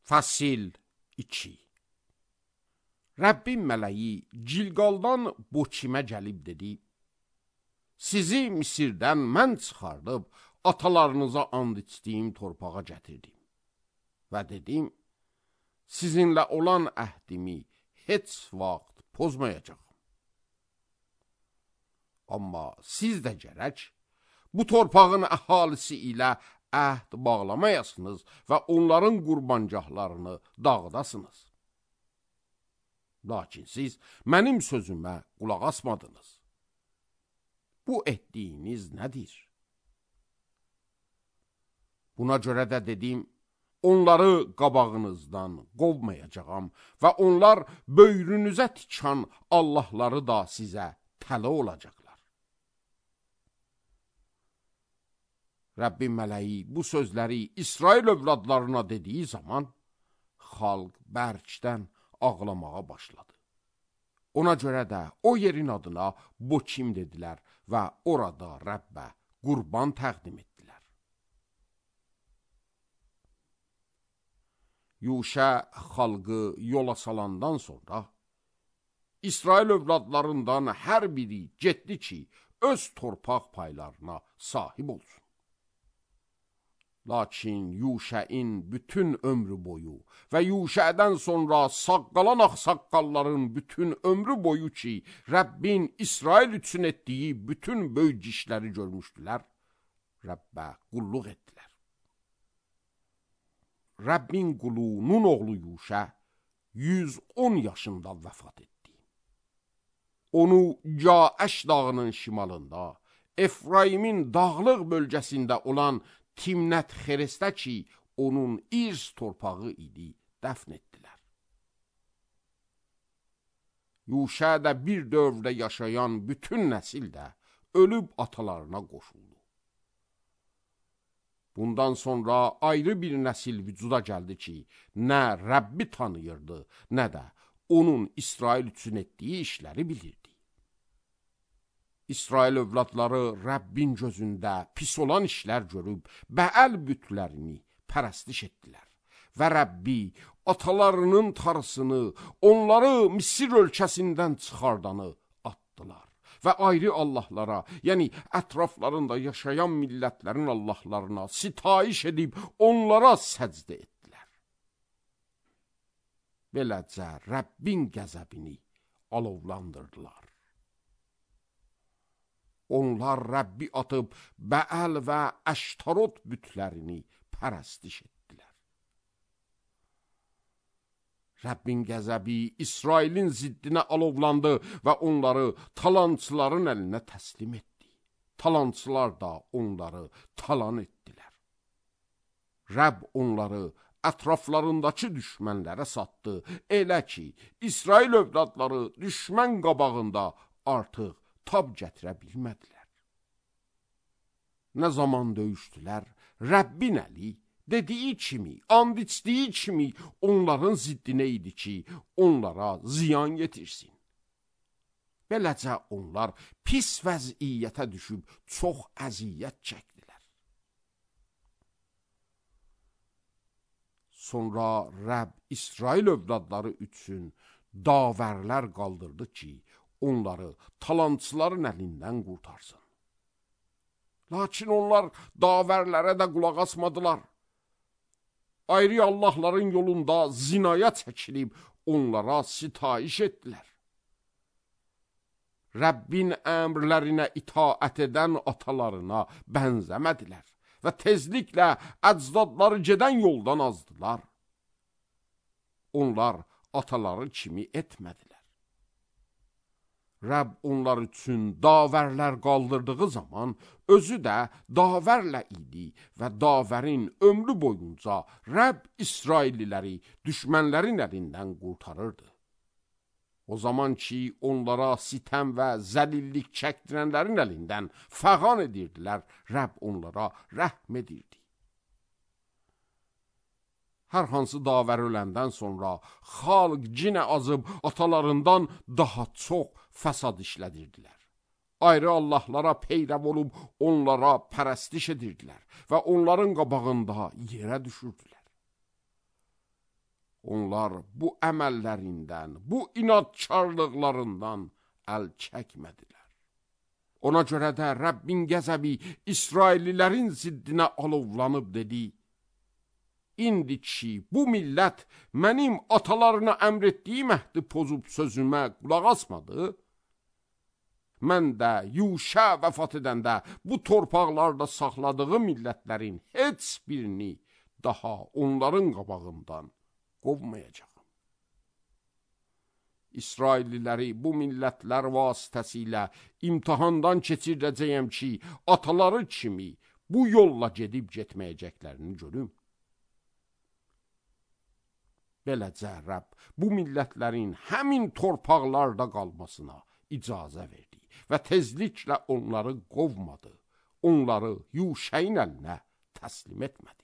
Fəsil 2. Rəbbin mələyi Cilqaldan Boçimə gəlib dedi: Sizi Misirdən mən çıxardıb atalarınıza and içdiyim torpağa gətirdim. Və dedim, sizinlə olan əhdimi heç vaxt pozmayacağım. Amma siz də gərək bu torpağın əhalisi ilə əhd bağlamayasınız və onların qurbancahlarını dağıdasınız. Lakin siz mənim sözümə qulaq asmadınız. Bu etdiyiniz nədir? Buna görə də dedim, onları qabağınızdan qovmayacağam və onlar böyrünüzə tikan Allahları da sizə tələ olacaqlar. Rəbbin mələyi bu sözləri İsrail övladlarına dediyi zaman, xalq bərkdən ağlamağa başladı. Ona görə də o yerin adına Boçim dedilər və orada Rəbbə qurban təqdim etdilər. Yuşə xalqı yola salandan sonra, İsrail övladlarından hər biri getdi ki, öz torpaq paylarına sahib olsun. Lakin Yuşəin bütün ömrü boyu və Yuşədən sonra saqqalan ağsaqqalların bütün ömrü boyu ki, Rəbbin İsrail üçün etdiyi bütün böyük işləri görmüşdülər, Rəbbə qulluq etdilər. Rəbbin qulu Nun oğlu Yuşə 110 yaşında vəfat etdi. Onu Caəş dağının şimalında, Efraimin dağlıq bölgəsində olan Timnət Xerestə ki, onun irs torpağı idi, dəfn etdilər. Yuşə də bir dövrdə yaşayan bütün nəsil də ölüb atalarına qoşuldu. Bundan sonra ayrı bir nəsil vücuda gəldi ki, nə Rəbbi tanıyırdı, nə də onun İsrail üçün etdiyi işləri bilirdi. İsrail övladları Rəbbin gözündə pis olan işlər görüb, Bəəl bütlərini pərəstiş etdilər. Və Rəbbi atalarının tarısını, onları Misir ölkəsindən çıxardanı atdılar. Və ayrı Allahlara, yəni ətraflarında yaşayan millətlərin Allahlarına sitayiş edib, onlara səcdə etdilər. Beləcə Rəbbin qəzəbini alovlandırdılar. Onlar Rəbbi atıb Bəəl və Əştarot bütlərini pərəstiş etdilər. Rəbbin qəzəbi İsrailin ziddinə alovlandı və onları talançıların əlinə təslim etdi. Talançılar da onları talan etdilər. Rəbb onları ətraflarındakı düşmənlərə satdı. Elə ki, İsrail övladları düşmən qabağında artıq tab gətirə bilmədilər. Nə zaman döyüşdülər, Rəbbin əli dediyi kimi, and içdiyi kimi onların ziddinə idi ki, onlara ziyan yetirsin. Beləcə onlar pis vəziyyətə düşüb çox əziyyət çəkdilər. Sonra Rəbb İsrail övladları üçün davərlər qaldırdı ki, onları talançıların əlindən qurtarsın. Lakin onlar davərlərə də qulaq asmadılar. Ayrı Allahların yolunda zinaya çəkilib onlara sitayiş etdilər. Rəbbin əmrlərinə itaət edən atalarına bənzəmədilər və tezliklə əcdadları gedən yoldan azdılar. Onlar ataları kimi etmədilər. Rəbb onlar üçün davərlər qaldırdığı zaman özü də davərlə idi və davərin ömrü boyunca Rəbb İsrailliləri düşmənlərin əlindən qurtarırdı. O zaman ki, onlara sitəm və zəlillik çəkdirənlərin əlindən fəğan edirdilər, Rəbb onlara rəhm edirdi. Hər hansı davər öləndən sonra xalq cinə azıb atalarından daha çox fəsad işlədirdilər. Ayrı Allahlara peyrəv olub onlara pərəstiş edirdilər və onların qabağında yerə düşürdülər. onlar bu əməllərindən, bu inadkarlıqlarından əl çəkmədilər. Ona görə də Rəbbin qəzəbi İsraillilərin ziddinə alovlanıb dedi: İndi ki, bu millət mənim atalarına əmr etdiyim əhdi pozub sözümə qulaq asmadı, mən də Yuşa vəfat edəndə bu torpaqlarda saxladığı millətlərin heç birini daha onların qabağından qovmayacağam. İsrailliləri bu millətlər vasitəsilə imtihandan keçirdəcəyəm ki, ataları kimi bu yolla gedib getməyəcəklərini görüm. Beləcə Rəbb bu millətlərin həmin torpaqlarda qalmasına icazə verdi və tezliklə onları qovmadı, onları Yuşəyin əlinə təslim etmədi.